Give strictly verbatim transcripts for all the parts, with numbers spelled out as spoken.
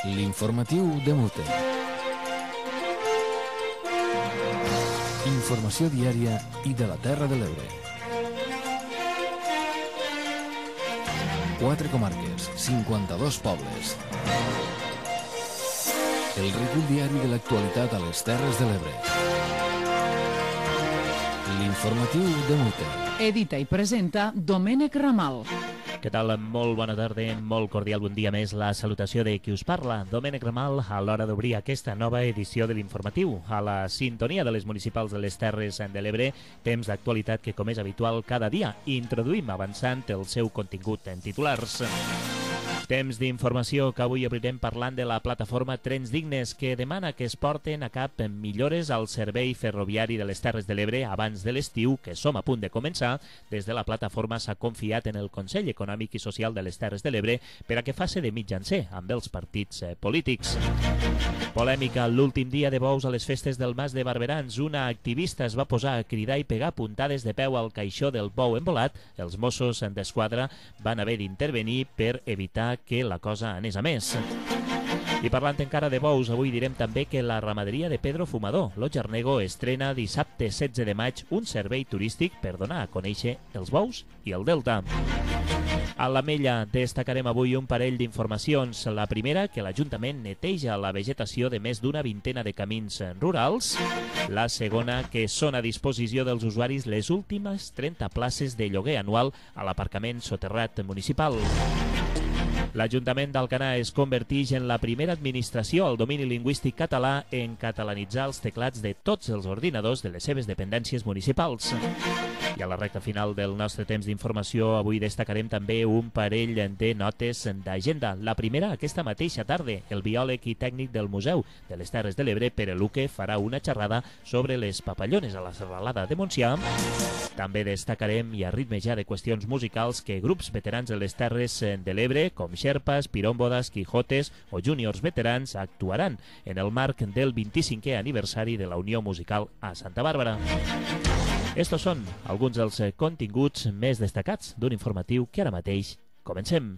L'informatiu de Mute. Informació diària i de la Terra de l'Ebre. Quatre comarques, cinquanta-dos pobles. El recull diari de l'actualitat a les Terres de l'Ebre. L'informatiu de Mute. Edita i presenta Domènec Ramal. Què tal? Molt bona tarda, molt cordial bon dia més. La salutació de qui us parla, Domènec Ramal, a l'hora d'obrir aquesta nova edició de l'informatiu. A la sintonia de les municipals de les Terres de l'Ebre, temps d'actualitat que, com és habitual, cada dia introduïm avançant el seu contingut en titulars. Temps d'informació que avui obrirem parlant de la plataforma Trens Dignes, que demana que es porten a cap millores al servei ferroviari de les Terres de l'Ebre abans de l'estiu, que som a punt de començar. Des de la plataforma s'ha confiat en el Consell Econòmic i Social de les Terres de l'Ebre per a que faci de mitjancer amb els partits polítics. Polèmica l'últim dia de bous a les festes del Mas de Barberans. Una activista es va posar a cridar i pegar puntades de peu al caixó del bou embolat. Els Mossos d'Esquadra van haver d'intervenir per evitar que la cosa anés a més. I parlant encara de bous, avui direm també que la ramaderia de Pedro Fumador, Lo Jarnego, estrena dissabte setze de maig un servei turístic per donar a conèixer els bous i el delta. A l'Ametlla destacarem avui un parell d'informacions. La primera, que l'Ajuntament neteja la vegetació de més d'una vintena de camins rurals. La segona, que són a disposició dels usuaris les últimes trenta places de lloguer anual a l'aparcament soterrat municipal. L'Ajuntament d'Alcanar es converteix en la primera administració al domini lingüístic català en catalanitzar els teclats de tots els ordinadors de les seves dependències municipals. I a la recta final del nostre temps d'informació, avui destacarem també un parell de notes d'agenda. La primera, aquesta mateixa tarda, el biòleg i tècnic del Museu de les Terres de l'Ebre, Pere Luque, farà una xerrada sobre les papallones a la serralada de Montsià. També destacarem i a ritme ja de qüestions musicals que grups veterans de les Terres de l'Ebre, com Xerpas, Pirómbodas, Quijotes o júniors veterans, actuaran en el marc del vint-i-cinquè aniversari de la Unió Musical a Santa Bàrbara. Estos són alguns dels continguts més destacats d'un informatiu que ara mateix comencem.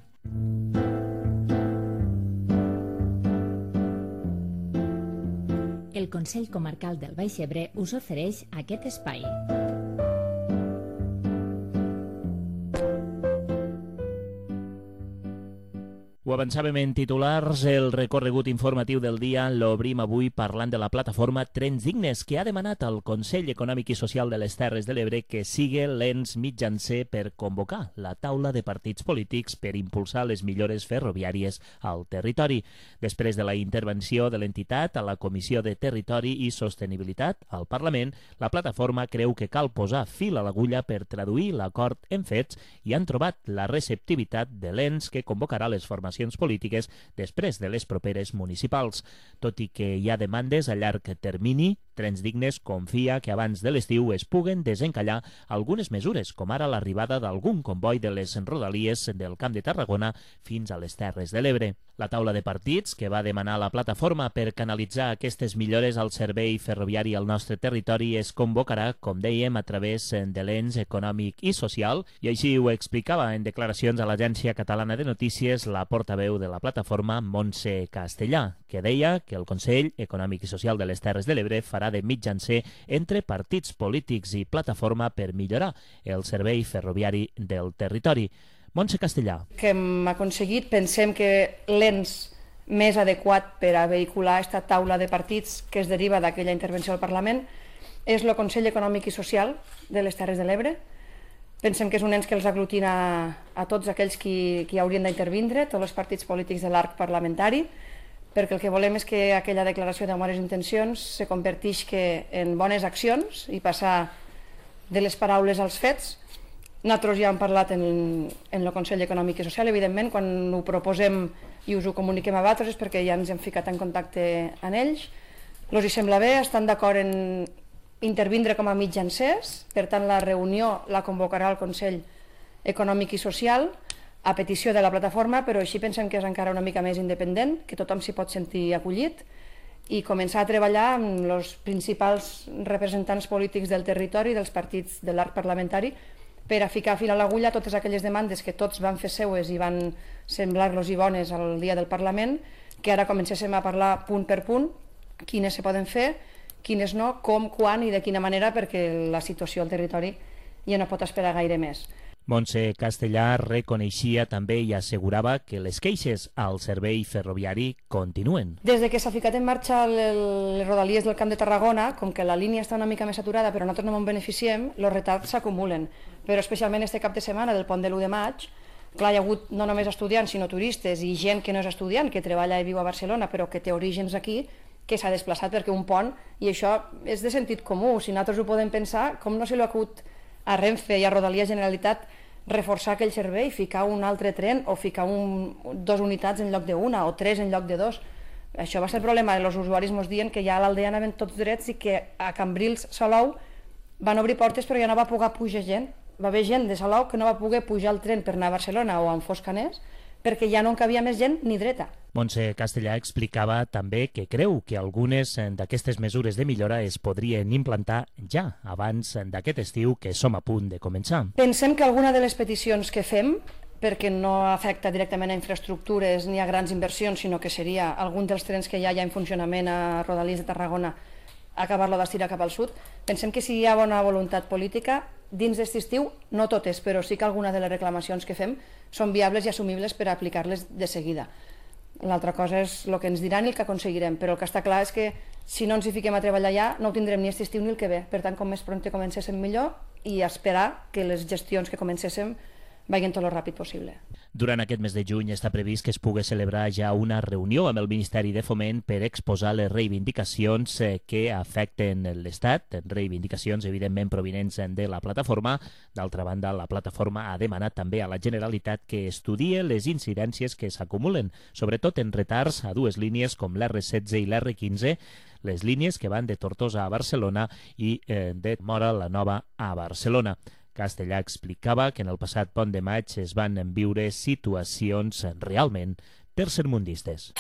El Consell Comarcal del Baix Ebre us ofereix aquest espai. Ho avançàvem en titulars, el recorregut informatiu del dia l'obrim avui parlant de la plataforma Trens Dignes, que ha demanat al Consell Econòmic i Social de les Terres de l'Ebre que sigui l'ens mitjancer per convocar la taula de partits polítics per impulsar les millores ferroviàries al territori. Després de la intervenció de l'entitat a la Comissió de Territori i Sostenibilitat al Parlament, la plataforma creu que cal posar fil a l'agulla per traduir l'acord en fets i han trobat la receptivitat de l'ens que convocarà les formacions polítiques després de les properes municipals. Tot i que hi ha demandes a llarg termini, Trens Dignes confia que abans de l'estiu es puguen desencallar algunes mesures, com ara l'arribada d'algun comboi de les rodalies del Camp de Tarragona fins a les Terres de l'Ebre. La taula de partits que va demanar la plataforma per canalitzar aquestes millores al servei ferroviari al nostre territori es convocarà, com dèiem, a través de l'ens econòmic i social, i així ho explicava en declaracions a l'Agència Catalana de Notícies la portaveu de la plataforma, Montse Castellà, que deia que el Consell Econòmic i Social de les Terres de l'Ebre farà de mitjancer entre partits polítics i plataforma per millorar el servei ferroviari del territori. Montse Castellà. Que hem aconseguit, pensem que l'ens més adequat per a vehicular aquesta taula de partits que es deriva d'aquella intervenció al Parlament és el Consell Econòmic i Social de les Terres de l'Ebre. Pensem que és un ens que els aglutina a tots aquells qui, qui haurien d'intervindre, tots els partits polítics de l'arc parlamentari, perquè el que volem és que aquella declaració de bones intencions se converteix en bones accions i passar de les paraules als fets. Nosaltres ja hem parlat en, en el Consell Econòmic i Social, evidentment, quan ho proposem i us ho comuniquem a vosaltres és perquè ja ens hem ficat en contacte amb ells. Els hi sembla bé, estan d'acord en intervindre com a mitjancers, per tant la reunió la convocarà el Consell Econòmic i Social a petició de la plataforma, però així pensem que és encara una mica més independent, que tothom s'hi pot sentir acollit i començar a treballar amb els principals representants polítics del territori, dels partits de l'arc parlamentari, per a ficar fil a l'agulla totes aquelles demandes que tots van fer seues i van semblar-los i bones al dia del Parlament, que ara comencéssim a parlar punt per punt, quines se poden fer, quines no, com, quan i de quina manera, perquè la situació al territori ja no pot esperar gaire més. Montse Castellà reconeixia també i assegurava que les queixes al servei ferroviari continuen. Des de que s'ha ficat en marxa les rodalies del Camp de Tarragona, com que la línia està una mica més saturada però nosaltres no en beneficiem, els retards s'acumulen. Però especialment este cap de setmana del pont de l'u de maig, clar, hi ha hagut no només estudiants sinó turistes i gent que no és estudiant, que treballa i viu a Barcelona però que té orígens aquí, que s'ha desplaçat perquè un pont, i això és de sentit comú, si nosaltres ho podem pensar, com no se li ha acut a Renfe i a Rodalies Generalitat reforçar aquell servei, ficar un altre tren o ficar un, dos unitats en lloc d'una o tres en lloc de dos. Això va ser el problema, els usuaris ens diuen que ja a l'Aldea anaven tots drets i que a Cambrils, Salou, van obrir portes però ja no va poder pujar gent. Va haver gent de Salou que no va poder pujar el tren per anar a Barcelona o a Foscaners perquè ja no en cabia més gent ni dreta. Montse Castellà explicava també que creu que algunes d'aquestes mesures de millora es podrien implantar ja abans d'aquest estiu que som a punt de començar. Pensem que alguna de les peticions que fem, perquè no afecta directament a infraestructures ni a grans inversions, sinó que seria algun dels trens que ja hi ha en funcionament a Rodalies de Tarragona, acabar-lo d'estirar cap al sud, pensem que si hi ha bona voluntat política, dins d'aquest estiu, no totes, però sí que alguna de les reclamacions que fem són viables i assumibles per aplicar-les de seguida. L'altra cosa és el que ens diran i el que aconseguirem, però el que està clar és que si no ens hi fiquem a treballar ja, no ho tindrem ni aquest estiu ni el que ve. Per tant, com més prompte comencéssim millor i esperar que les gestions que comencéssim vagin tot el ràpid possible. Durant aquest mes de juny està previst que es pugui celebrar ja una reunió amb el Ministeri de Foment per exposar les reivindicacions que afecten l'Estat, reivindicacions evidentment provinents de la plataforma. D'altra banda, la plataforma ha demanat també a la Generalitat que estudie les incidències que s'acumulen, sobretot en retards a dues línies com l'erre setze i l'erre quinze, les línies que van de Tortosa a Barcelona i eh, de Móra la Nova a Barcelona. Castellà explicava que en el passat pont de maig es van viure situacions realment tercermundistes.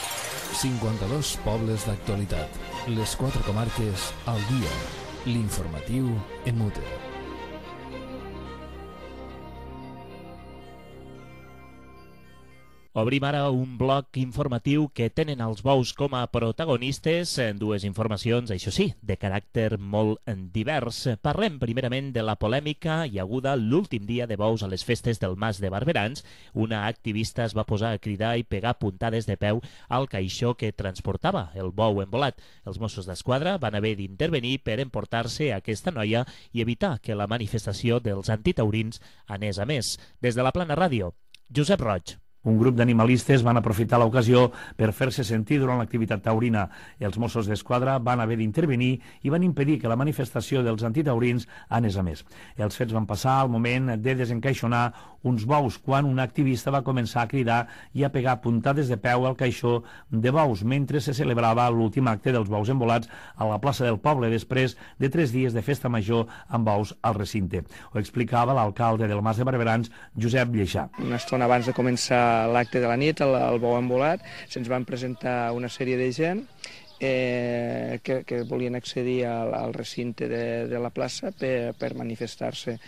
cinquanta-dos pobles d'actualitat. Les quatre comarques al dia. L'informatiu en mute. Obrim ara un bloc informatiu que tenen els bous com a protagonistes en dues informacions, això sí, de caràcter molt divers. Parlem primerament de la polèmica hi haguda l'últim dia de bous a les festes del Mas de Barberans. Una activista es va posar a cridar i pegar puntades de peu al caixó que transportava el bou embolat. Els Mossos d'Esquadra van haver d'intervenir per emportar-se aquesta noia i evitar que la manifestació dels antitaurins anés a més. Des de la Plana Ràdio, Josep Roig. Un grup d'animalistes van aprofitar l'ocasió per fer-se sentir durant l'activitat taurina. Els Mossos d'Esquadra van haver d'intervenir i van impedir que la manifestació dels antitaurins anés a més. Els fets van passar al moment de desencaixonar uns bous, quan un activista va començar a cridar i a pegar puntades de peu al caixó de bous mentre se celebrava l'últim acte dels bous embolats a la plaça del poble després de tres dies de festa major amb bous al recinte. Ho explicava l'alcalde del Mas de Barberans, Josep Lleixà. Una estona abans de començar l'acte de la nit, el, el bou embolat, se'ns van presentar una sèrie de gent eh, que, que volien accedir al, al recinte de, de la plaça per, per manifestar-se.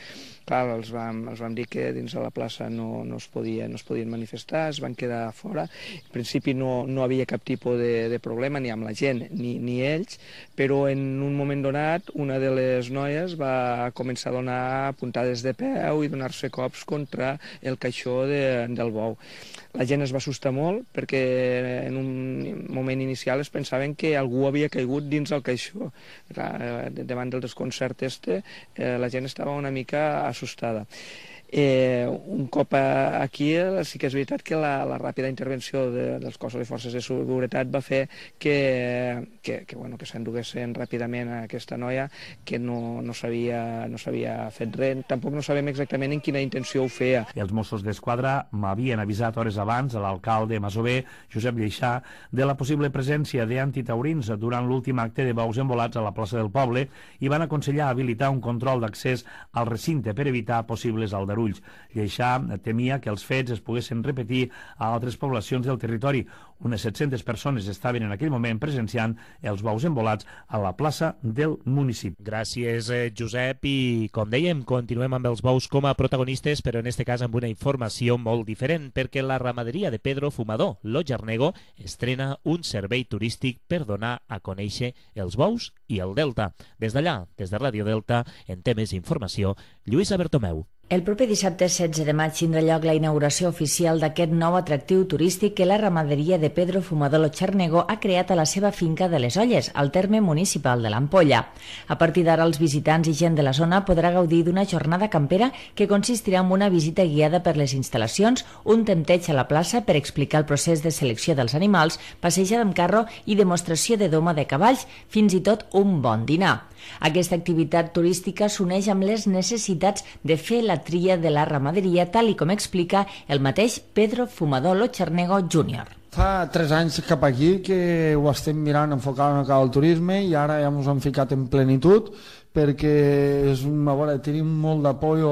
Clar, els vam, els vam dir que dins de la plaça no, no, es podia, no es podien manifestar, es van quedar fora. En principi no, no havia cap tipus de, de problema ni amb la gent ni, ni ells, però en un moment donat una de les noies va començar a donar puntades de peu i donar-se cops contra el caixó de, del bou. La gent es va assustar molt perquè en un moment inicial es pensaven que algú havia caigut dins el caixó. Davant del desconcert este, eh, la gent estava una mica assustada. Eh, un cop aquí sí que és veritat que la, la ràpida intervenció de, dels cossos i forces de seguretat va fer que, que, que, bueno, que s'enduguessin ràpidament a aquesta noia, que no, no s'havia no s'havia fet res. Tampoc no sabem exactament en quina intenció ho feia. Els Mossos d'Esquadra m'havien avisat hores abans a l'alcalde masover, Josep Lleixà, de la possible presència d'antitaurins durant l'últim acte de bous embolats a la plaça del poble i van aconsellar habilitar un control d'accés al recinte per evitar possibles aldarulls. Ulls. Lleixà temia que els fets es poguessin repetir a altres poblacions del territori. Unes set-centes persones estaven en aquell moment presenciant els bous embolats a la plaça del municipi. Gràcies, Josep, i com dèiem, continuem amb els bous com a protagonistes, però en aquest cas amb una informació molt diferent, perquè la ramaderia de Pedro Fumador, Lo Charnego, estrena un servei turístic per donar a conèixer els bous i el Delta. Des d'allà, des de Ràdio Delta, en té més informació Lluïsa Bertomeu. El proper dissabte setze de maig tindrà lloc la inauguració oficial d'aquest nou atractiu turístic que la ramaderia de Pedro Fumador Lo Charnego ha creat a la seva finca de les Olles, al terme municipal de l'Ampolla. A partir d'ara, els visitants i gent de la zona podrà gaudir d'una jornada campera que consistirà en una visita guiada per les instal·lacions, un tempteig a la plaça per explicar el procés de selecció dels animals, passejada amb carro i demostració de doma de cavalls, fins i tot un bon dinar. Aquesta activitat turística s'uneix amb les necessitats de fer la tria de la ramaderia, tal i com explica el mateix Pedro Fumador Lo Charnego júnior. Fa tres anys cap aquí que ho estem mirant enfocar una cosa al turisme i ara ja ens hem ficat en plenitud perquè és una, veure, tenim molt d'apoyo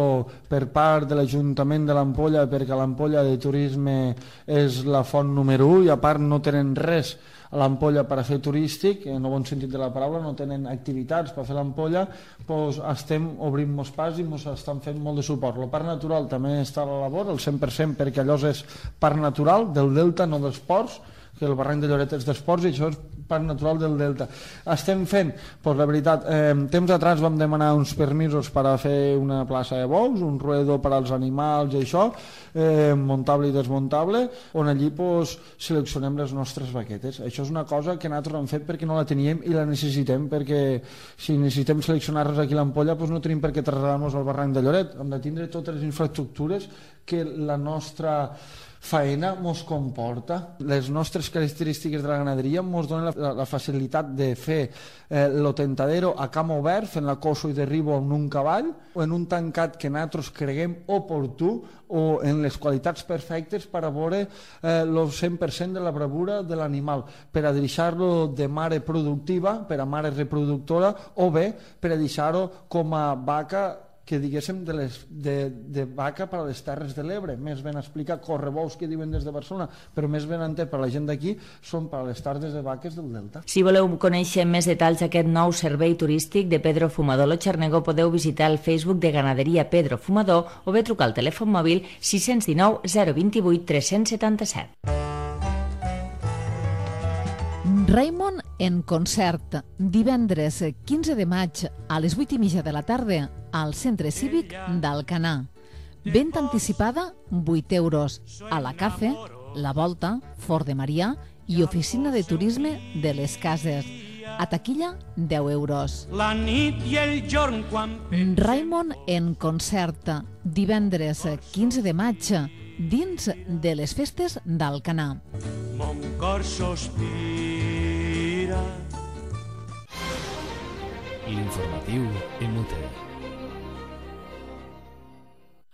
per part de l'Ajuntament de l'Ampolla perquè l'Ampolla de turisme és la font número u i a part no tenen res a l'Ampolla per a fer turístic, en el bon sentit de la paraula, no tenen activitats per fer l'Ampolla, doncs estem obrint molts pas i ens estan fent molt de suport. El parc natural també està a la labor, el cent per cent, perquè allò és parc natural del Delta, no dels ports, que el barranc de Lloret és d'esports i això és parc natural del Delta. Estem fent, doncs la veritat, eh, temps atrás vam demanar uns permisos per a fer una plaça de bous, un ruedo per als animals i això, eh, muntable i desmuntable, on allí doncs, seleccionem les nostres vaquetes. Això és una cosa que nosaltres hem fet perquè no la teníem i la necessitem, perquè si necessitem seleccionar-les aquí a l'Ampolla doncs no tenim per què traslladar-nos al barranc de Lloret. Hem de tindre totes les infraestructures que la nostra faena mos comporta. Les nostres característiques de la ganaderia mos donen la, la facilitat de fer eh, lo tentadero a camp obert, fent la coso i derribo en un cavall, o en un tancat que nosaltres creguem oportú o en les qualitats perfectes per a veure el eh, cent per cent de la bravura de l'animal, per a deixar-lo de mare productiva, per a mare reproductora, o bé per a deixar-ho com a vaca que diguéssim de, les, de, de vaca per a les Terres de l'Ebre, més ben explicar correbous que diuen des de Barcelona, però més ben entès per a la gent d'aquí, són per a les tardes de vaques del Delta. Si voleu conèixer més detalls d'aquest nou servei turístic de Pedro Fumador Lo Charnego, podeu visitar el Facebook de Ganaderia Pedro Fumador o bé trucar al telèfon mòbil sis cents dinou zero vint vuit tres cents setanta-set. Raimon en concert, divendres quinze de maig a les vuit i mitja de la tarda al Centre Cívic d'Alcanar. Venda anticipada, vuit euros. A la Cafe, La Volta, Fort de Marià i Oficina de Turisme de les Cases. A taquilla, deu euros. La nit i el jorn quan... Raimon en concert, divendres quinze de maig, dins de les festes d'Alcanar. Mon cor sospira. L'informatiu en Mute.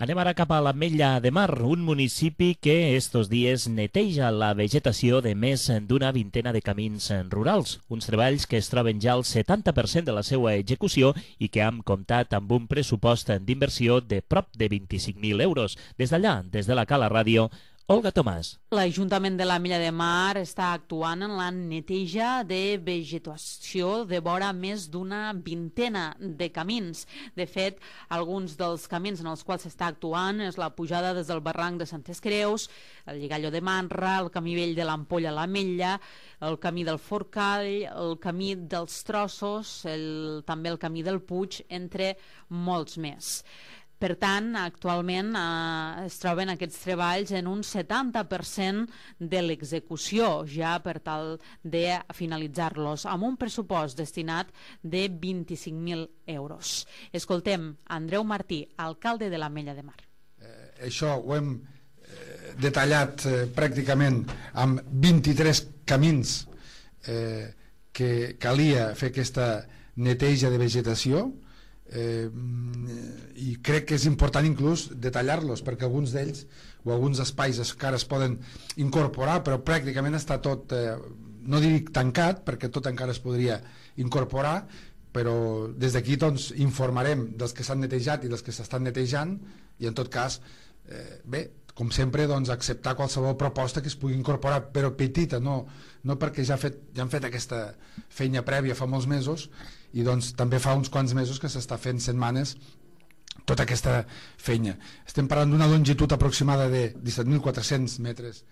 Anem ara cap a l'Ametlla de Mar, un municipi que estos dies neteja la vegetació de més d'una vintena de camins rurals. Uns treballs que es troben ja al setanta per cent de la seva execució i que han comptat amb un pressupost d'inversió de prop de vint-i-cinc mil euros. Des d'allà, des de la Cala Ràdio, Olga Tomàs. L'Ajuntament de l'Ametlla de Mar està actuant en la neteja de vegetació de vora més d'una vintena de camins. De fet, alguns dels camins en els quals s'està actuant és la pujada des del barranc de Santes Creus, el Lligalló de Manra, el camí vell de l'Ampolla a l'Ametlla, el camí del Forcall, el camí dels Trossos, el, també el camí del Puig, entre molts més. Per tant, actualment eh, es troben aquests treballs en un setanta per cent de l'execució, ja per tal de finalitzar-los, amb un pressupost destinat de vint-i-cinc mil euros. Escoltem Andreu Martí, alcalde de l'Ametlla de Mar. Eh, això ho hem eh, detallat eh, pràcticament amb vint-i-tres camins eh, que calia fer aquesta neteja de vegetació. Eh, i crec que és important inclús detallar-los perquè alguns d'ells o alguns espais encara es poden incorporar, però pràcticament està tot, eh, no dic tancat perquè tot encara es podria incorporar, però des d'aquí doncs, informarem dels que s'han netejat i dels que s'estan netejant, i en tot cas, eh, bé, com sempre, doncs, acceptar qualsevol proposta que es pugui incorporar, però petita, no, no perquè ja, fet, ja han fet aquesta feina prèvia fa molts mesos, i doncs també fa uns quants mesos que s'està fent setmanes tota aquesta feina. Estem parlant d'una longitud aproximada de disset mil quatre-cents metres.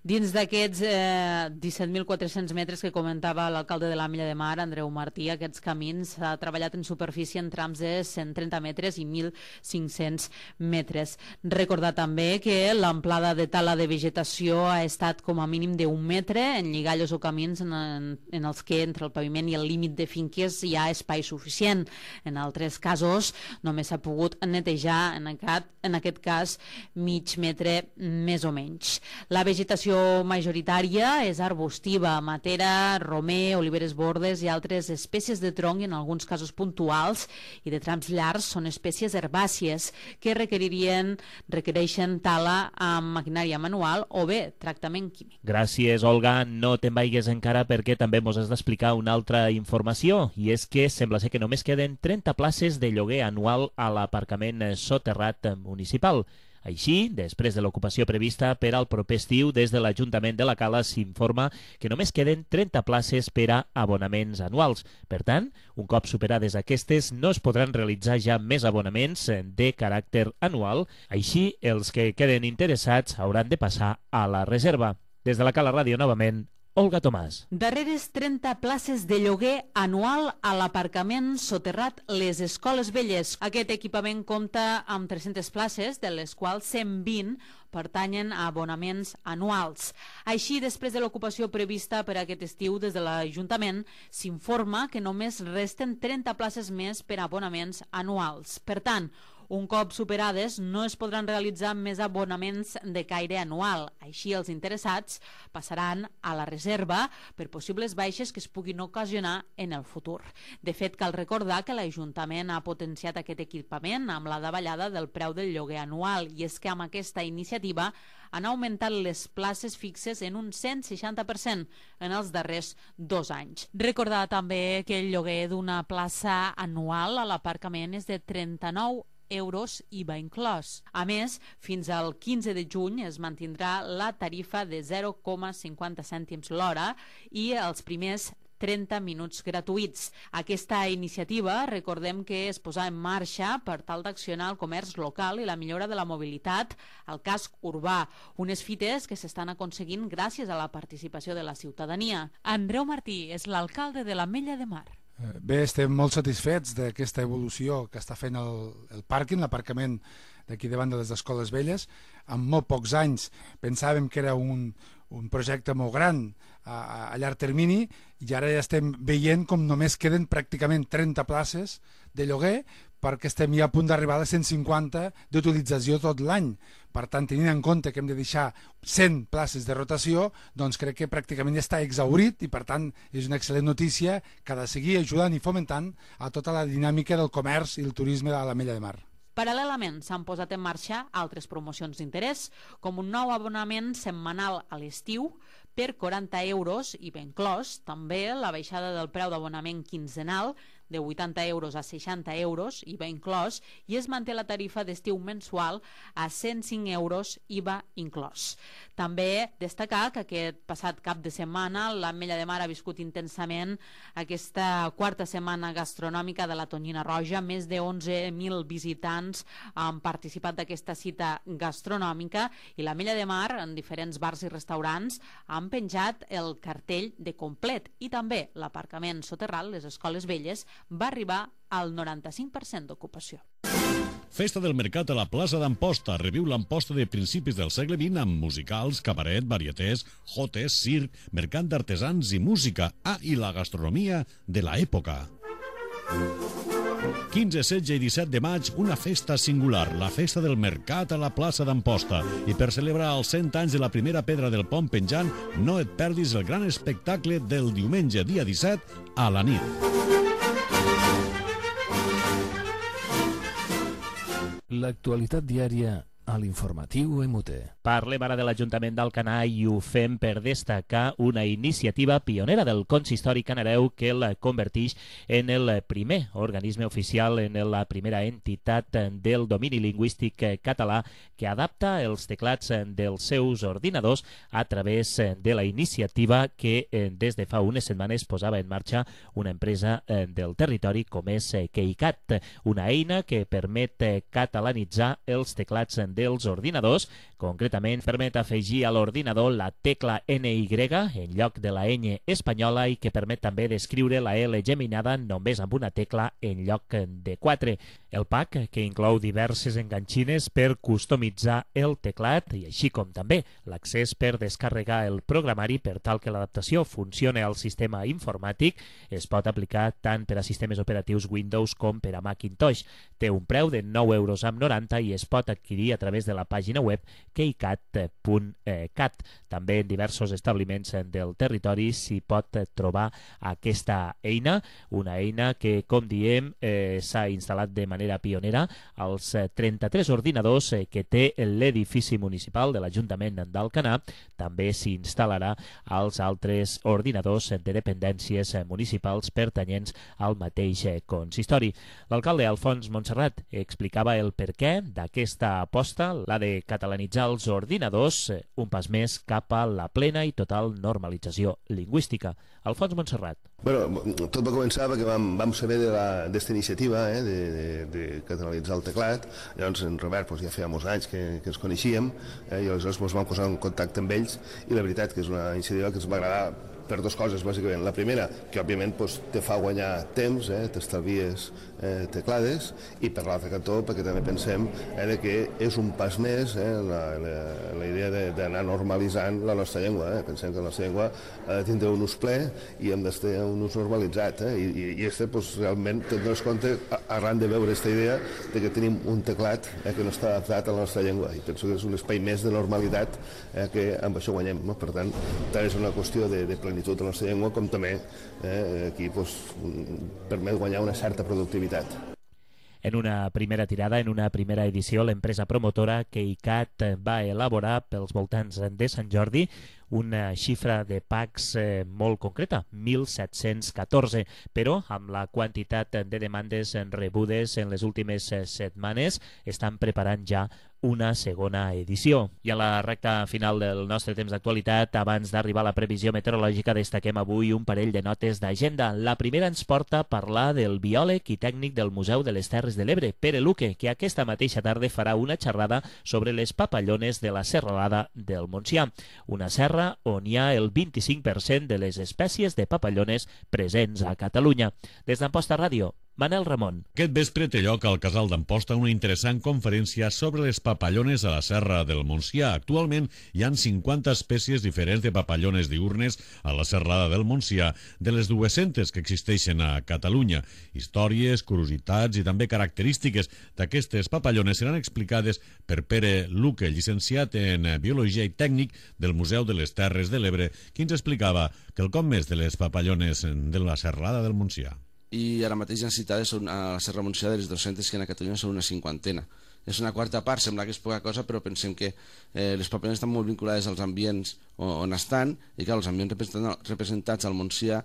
Dins d'aquests eh, disset mil quatre-cents metres que comentava l'alcalde de l'Ametlla de Mar, Andreu Martí, aquests camins s'ha treballat en superfície en trams de cent trenta metres i mil cinc-cents metres. Recordar també que l'amplada de tala de vegetació ha estat com a mínim d'un metre en lligallos o camins en, en, en els que entre el paviment i el límit de finques hi ha espai suficient. En altres casos només s'ha pogut netejar, en aquest, en aquest cas, mig metre més o menys. La vegetació majoritària és arbustiva, matera, romer, oliveres bordes i altres espècies de tronc, i en alguns casos puntuals i de trams llargs són espècies herbàcies que requeririen, requereixen tala amb maquinària manual o bé tractament químic. Gràcies, Olga. No te'n vagis encara perquè també mos has d'explicar una altra informació, i és que sembla ser que només queden trenta places de lloguer anual a l'aparcament soterrat municipal. Així, després de l'ocupació prevista per al proper estiu, des de l'Ajuntament de la Cala s'informa que només queden trenta places per a abonaments anuals. Per tant, un cop superades aquestes, no es podran realitzar ja més abonaments de caràcter anual. Així, els que queden interessats hauran de passar a la reserva. Des de la Cala Ràdio, novament, Olga Tomàs. Darreres trenta places de lloguer anual a l'aparcament soterrat Les Escoles Velles. Aquest equipament compta amb tres-centes places, de les quals cent vint pertanyen a abonaments anuals. Així, després de l'ocupació prevista per aquest estiu des de l'Ajuntament, s'informa que només resten trenta places més per a abonaments anuals. Per tant, un cop superades, no es podran realitzar més abonaments de caire anual. Així, els interessats passaran a la reserva per possibles baixes que es puguin ocasionar en el futur. De fet, cal recordar que l'Ajuntament ha potenciat aquest equipament amb la davallada del preu del lloguer anual, i és que amb aquesta iniciativa han augmentat les places fixes en un cent seixanta per cent en els darrers dos anys. Recordar també que el lloguer d'una plaça anual a l'aparcament és de trenta-nou euros I V A inclòs. A més, fins al quinze de juny es mantindrà la tarifa de zero coma cinquanta cèntims l'hora i els primers trenta minuts gratuïts. Aquesta iniciativa, recordem que es posà en marxa per tal d'accionar el comerç local i la millora de la mobilitat al casc urbà, unes fites que s'estan aconseguint gràcies a la participació de la ciutadania. Andreu Martí és l'alcalde de l'Ametlla de Mar. Bé, estem molt satisfets d'aquesta evolució que està fent el, el pàrquing, l'aparcament d'aquí davant de les Escoles Velles. En molt pocs anys pensàvem que era un, un projecte molt gran a, a llarg termini, i ara ja estem veient com només queden pràcticament trenta places de lloguer, perquè estem ja a punt d'arribar a les cent cinquanta d'utilització tot l'any. Per tant, tenint en compte que hem de deixar cent places de rotació, doncs crec que pràcticament ja està exhaurit, i per tant és una excel·lent notícia que ha de seguir ajudant i fomentant a tota la dinàmica del comerç i el turisme de l'Ametlla de Mar. Paral·lelament s'han posat en marxa altres promocions d'interès, com un nou abonament setmanal a l'estiu per quaranta euros I V A inclòs, també la baixada del preu d'abonament quinzenal de vuitanta euros a seixanta euros I V A inclòs, i es manté la tarifa d'estiu mensual a cent cinc euros I V A inclòs. També destacar que aquest passat cap de setmana l'Ametlla de Mar ha viscut intensament aquesta quarta setmana gastronòmica de la Tonyina Roja. Més de onze mil visitants han participat d'aquesta cita gastronòmica, i l'Ametlla de Mar, en diferents bars i restaurants, han penjat el cartell de complet, i també l'aparcament soterrat Les Escoles Velles va arribar al noranta-cinc per cent d'ocupació. Festa del Mercat a la plaça d'Amposta. Reviu l'Amposta de principis del segle vint amb musicals, cabaret, varietés, jotes, circ, mercat d'artesans i música. Ah, i la gastronomia de l'època. quinze, setze i disset de maig, una festa singular, la Festa del Mercat a la plaça d'Amposta. I per celebrar els cent anys de la primera pedra del pont penjant, no et perdis el gran espectacle del diumenge, dia disset, a la nit. L'actualitat diària a l'informatiu M U T. Parlem ara de l'Ajuntament d'Alcanar i ho fem per destacar una iniciativa pionera del consistori canareu que el converteix en el primer organisme oficial, en la primera entitat del domini lingüístic català que adapta els teclats dels seus ordinadors a través de la iniciativa que des de fa unes setmanes posava en marxa una empresa del territori com és KeyCat, una eina que permet catalanitzar els teclats dels ordinadors. Concretament, permet afegir a l'ordinador la tecla N Y en lloc de la ñ espanyola i que permet també d'escriure la L geminada només amb una tecla en lloc de quatre. El pack, que inclou diverses enganxines per customitzar el teclat i així com també l'accés per descarregar el programari per tal que l'adaptació funcione al sistema informàtic, es pot aplicar tant per a sistemes operatius Windows com per a Macintosh. Té un preu de nou euros amb noranta i es pot adquirir a través de la pàgina web keycat punt cat. També en diversos establiments del territori s'hi pot trobar aquesta eina, una eina que, com diem, eh, s'ha instal·lat de manera pionera als trenta-tres ordinadors que té l'edifici municipal de l'Ajuntament d'Alcanar. També s'hi instal·larà als altres ordinadors de dependències municipals pertanyents al mateix consistori. L'alcalde Alfons Montserrat explicava el perquè d'aquesta aposta, la de catalanitzar els ordinadors, un pas més cap a la plena i total normalització lingüística. Alfons Montserrat. Bueno, tot va començar perquè vam, vam saber d'aquesta iniciativa eh, de, de, de catalanitzar el teclat. Llavors en Robert pues, ja feia molts anys que, que ens coneixíem eh, i aleshores pues, vam posar en contacte amb ells i la veritat que és una iniciativa que ens va agradar per dues coses, bàsicament. La primera, que òbviament pues, te fa guanyar temps, eh, t'estalvies eh, teclades, i per l'altre cantó, perquè també pensem eh, de que és un pas més eh, la, la, la idea d'anar normalitzant la nostra llengua. Eh. Pensem que la nostra llengua ha de tindre un ús ple i hem d'estar un ús normalitzat. Eh. I, i este, pues, realment, te'n dones compte, arran de veure aquesta idea de que tenim un teclat eh, que no està adaptat a la nostra llengua, i penso que és un espai més de normalitat eh, que amb això guanyem. No? Per tant, tant és una qüestió de, de plenitud de la nostra llengua, com també eh, aquí pues, permet guanyar una certa productivitat. En una primera tirada, en una primera edició, l'empresa promotora KeyCat va elaborar pels voltants de Sant Jordi una xifra de packs eh, molt concreta, mil set-cents catorze, però amb la quantitat de demandes rebudes en les últimes setmanes estan preparant ja una segona edició. I a la recta final del nostre temps d'actualitat, abans d'arribar a la previsió meteorològica, destaquem avui un parell de notes d'agenda. La primera ens porta a parlar del biòleg i tècnic del Museu de les Terres de l'Ebre, Pere Luque, que aquesta mateixa tarda farà una xerrada sobre les papallones de la serralada del Montsià, una serra on hi ha el vint-i-cinc per cent de les espècies de papallones presents a Catalunya. Des d'Amposta Ràdio, Manel Ramon. Aquest vespre té lloc al Casal d'Amposta una interessant conferència sobre les papallones a la Serra del Montsià. Actualment hi ha cinquanta espècies diferents de papallones diurnes a la serrada del Montsià, de les dues-centes que existeixen a Catalunya. Històries, curiositats i també característiques d'aquestes papallones seran explicades per Pere Luque, llicenciat en Biologia i Tècnic del Museu de les Terres de l'Ebre, qui ens explicava quelcom més de les papallones de la serrada del Montsià. I ara mateix han citades a la Serra Montsià de les dues-centes que en Catalunya són una cinquantena. És una quarta part, sembla que és poca cosa, però pensem que eh, les papallones estan molt vinculades als ambients on estan, i que els ambients representats al Montsià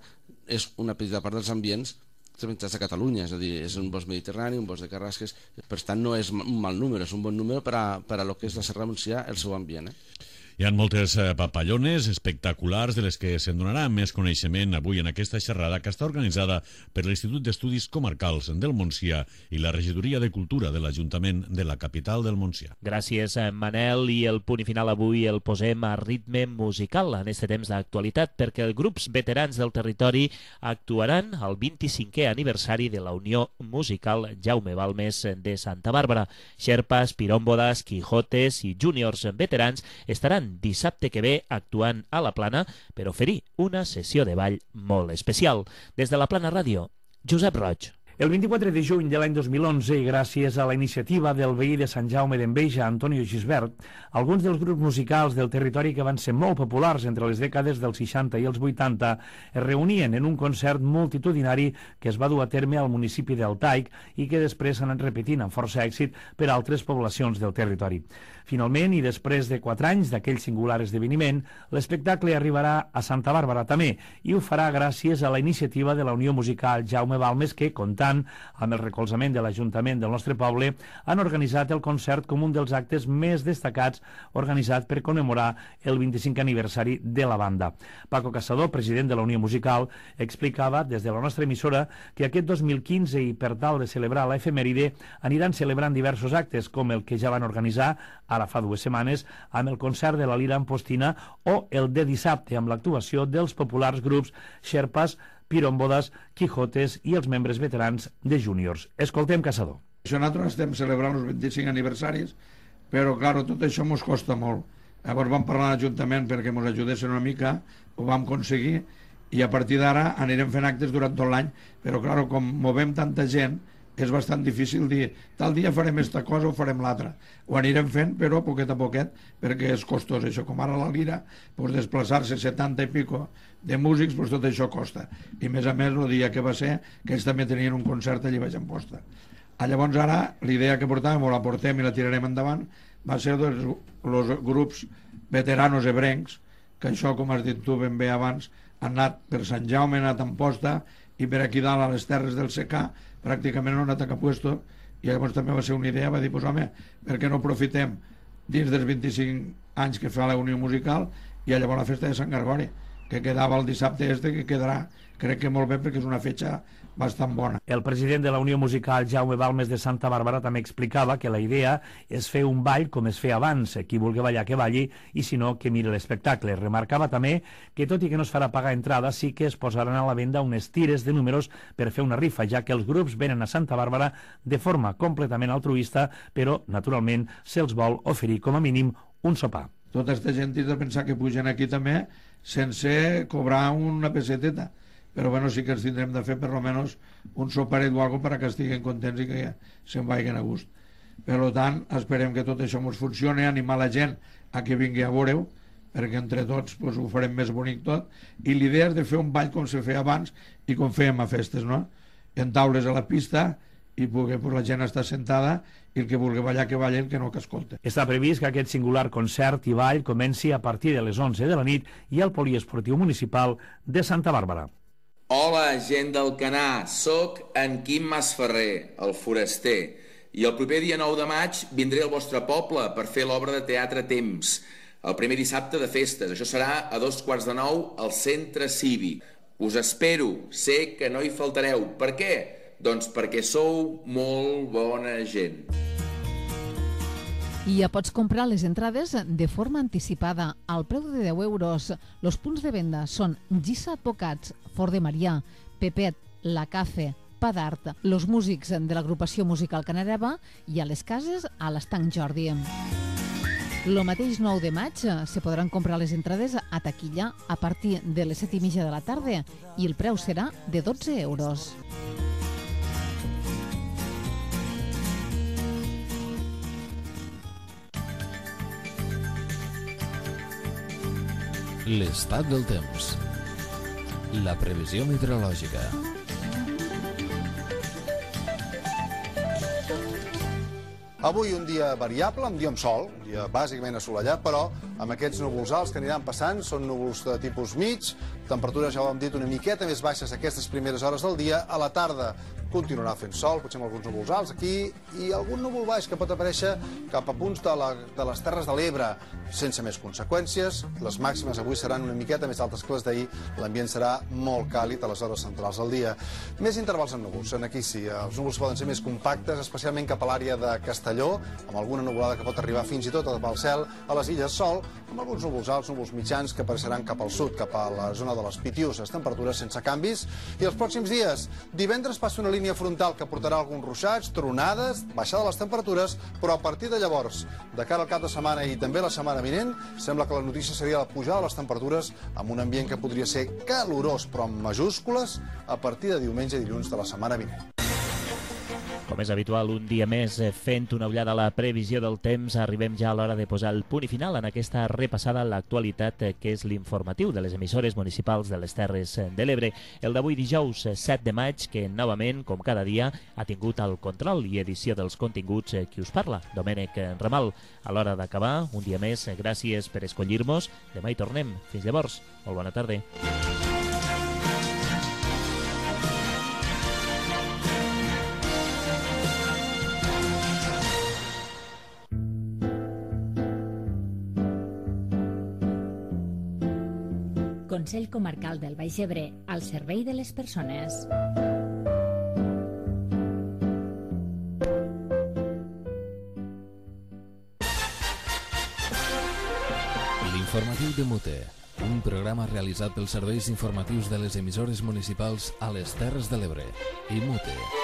és una petita part dels ambients representats a Catalunya, és a dir, és un bosc mediterrani, un bosc de carrasques, per tant no és un mal número, és un bon número per a, per a lo que és la Serra Montsià, el seu ambient. Eh? Hi ha moltes papallones espectaculars de les que se'n donarà més coneixement avui en aquesta xerrada que està organitzada per l'Institut d'Estudis Comarcals del Montsià i la Regidoria de Cultura de l'Ajuntament de la capital del Montsià. Gràcies, Manel, i el punt final avui el posem a ritme musical en aquest temps d'actualitat perquè els grups veterans del territori actuaran al vint-i-cinquè aniversari de la Unió Musical Jaume Balmes de Santa Bàrbara. Xerpas, piròmbodes, quijotes i júniors veterans estaran dissabte que ve actuant a la Plana per oferir una sessió de ball molt especial. Des de la Plana Ràdio, Josep Roig. El vint-i-quatre de juny de l'any dos mil onze, i gràcies a la iniciativa del veí de Sant Jaume d'Enveja, Antonio Gisbert, alguns dels grups musicals del territori que van ser molt populars entre les dècades dels seixanta i els vuitanta es reunien en un concert multitudinari que es va dur a terme al municipi d'Altaic i que després s'ha anat repetint amb força èxit per a altres poblacions del territori. Finalment, i després de quatre anys d'aquell singular esdeveniment, l'espectacle arribarà a Santa Bàrbara també, i ho farà gràcies a la iniciativa de la Unió Musical Jaume Balmes que, comptant amb el recolzament de l'Ajuntament del nostre poble, han organitzat el concert com un dels actes més destacats organitzat per commemorar el vint-i-cinquè aniversari de la banda. Paco Caçador, president de la Unió Musical, explicava des de la nostra emissora que aquest dos mil quinze, i per tal de celebrar la efemèride, aniran celebrant diversos actes, com el que ja van organitzar ara fa dues setmanes, amb el concert de la Lira Ampostina o el de dissabte, amb l'actuació dels populars grups Xerpas, Piròmbodes, Quijotes i els membres veterans de Júniors. Escoltem Caçador. Això nosaltres estem celebrant els vint-i-cinc aniversaris, però, clar, tot això ens costa molt. Llavors vam parlar a l'Ajuntament perquè ens ajudessin una mica, ho vam aconseguir, i a partir d'ara anirem fent actes durant tot l'any, però, clar, com movem tanta gent, és bastant difícil dir tal dia farem esta cosa o farem l'altra. Ho anirem fent, però poquet a poquet, perquè és costós això. Com ara la Lira, doncs desplaçar-se setanta i pico de músics, doncs tot això costa. I més a més, el dia que va ser, que ells també tenien un concert allà baix a Amposta. Llavors ara, l'idea que portàvem, o la portem i la tirarem endavant, va ser doncs, els grups veteranos ebrencs, que això, com has dit tu ben bé abans, han anat per Sant Jaume, han anat a Amposta, i per aquí dalt a les terres del secà pràcticament no han anat a cap puesto, i llavors també va ser una idea, va dir, pues, home, per què no aprofitem dins dels vint-i-cinc anys que fa la Unió Musical i llavors la festa de Sant Gregori, que quedava el dissabte este, que quedarà, crec que molt bé perquè és una fetxa bastant bona. El president de la Unió Musical, Jaume Balmes de Santa Bàrbara, també explicava que la idea és fer un ball com es feia abans, qui vulgui ballar que balli i si no que miri l'espectacle. Remarcava també que tot i que no es farà pagar entrada sí que es posaran a la venda unes tires de números per fer una rifa, ja que els grups venen a Santa Bàrbara de forma completament altruista, però naturalment se'ls vol oferir com a mínim un sopar. Tota aquesta gent ha de pensar que pugen aquí també sense cobrar una pesseteta, però bueno, sí que ens tindrem de fer per almenys un soparet o alguna cosa perquè estiguin contents i que se'n vagin a gust. Per tant, esperem que tot això ens funcioni, animar la gent a que vingui a veure-ho, perquè entre tots pues, ho farem més bonic tot, i l'idea és de fer un ball com se feia abans i com fèiem a festes, no? En taules a la pista, i poder, pues, la gent està sentada i el que vulgui ballar que balli, el que no que escolta. Està previst que aquest singular concert i ball comenci a partir de les onze de la nit i al Poliesportiu Municipal de Santa Bàrbara. Hola, gent del Canà, soc en Quim Masferrer, el foraster, i el proper dia nou de maig vindré al vostre poble per fer l'obra de teatre Temps, el primer dissabte de festes. Això serà a dos quarts de nou al Centre Cívic. Us espero, sé que no hi faltareu. Per què? Doncs perquè sou molt bona gent. I ja pots comprar les entrades de forma anticipada al preu de deu euros. Els punts de venda són Gissa Advocats, Fort de Marià, Pepet, La Cafe, Pa d'Art, los músics de l'agrupació musical Canareva i a les cases a l'Estanc Jordi. El mateix nou de maig se podran comprar les entrades a taquilla a partir de les set i mitja de la tarda i el preu serà de dotze euros. L'estat del temps. La previsió meteorològica. Avui un dia variable, un dia amb sol, un dia bàsicament assolellat, però amb aquests núvols alts que aniran passant, són núvols de tipus mig, temperatures, ja ho hem dit, una miqueta més baixes aquestes primeres hores del dia. A la tarda continuarà fent sol, potser amb alguns núvols alts aquí, i algun núvol baix que pot aparèixer cap a punts de, la, de les Terres de l'Ebre, sense més conseqüències. Les màximes avui seran una miqueta més altes que les d'ahir, l'ambient serà molt càlid a les hores centrals del dia. Més intervals en núvols, en aquí sí, els núvols poden ser més compactes, especialment cap a l'àrea de Castelló, amb alguna nuvolada que pot arribar fins i tot a tapar el cel, a les Illes Sol, amb alguns núvols alts, núvols mitjans que apareixeran cap al sud, cap a la zona de les Pitiuses, temperatures sense canvis. I els pròxims dies, divendres passa una línia frontal que portarà alguns ruixats, tronades, baixada de les temperatures, però a partir de llavors, de cara al cap de setmana i també la setmana vinent, sembla que la notícia seria la pujada de les temperatures amb un ambient que podria ser calorós, però amb majúscules, a partir de diumenge i dilluns de la setmana vinent. Com és habitual, un dia més fent una ullada a la previsió del temps, arribem ja a l'hora de posar el punt i final en aquesta repassada a l'actualitat que és l'informatiu de les emissores municipals de les Terres de l'Ebre. El d'avui dijous set de maig, que novament, com cada dia, ha tingut el control i edició dels continguts qui us parla, Domènec Ramal. A l'hora d'acabar, un dia més, gràcies per escollir-nos. Demà hi tornem. Fins llavors, molt bona tarda. Consell Comarcal del Baix Ebre, al servei de les persones. L'informatiu de Mute, un programa realitzat pels serveis informatius de les emissores municipals a les Terres de l'Ebre i Mute.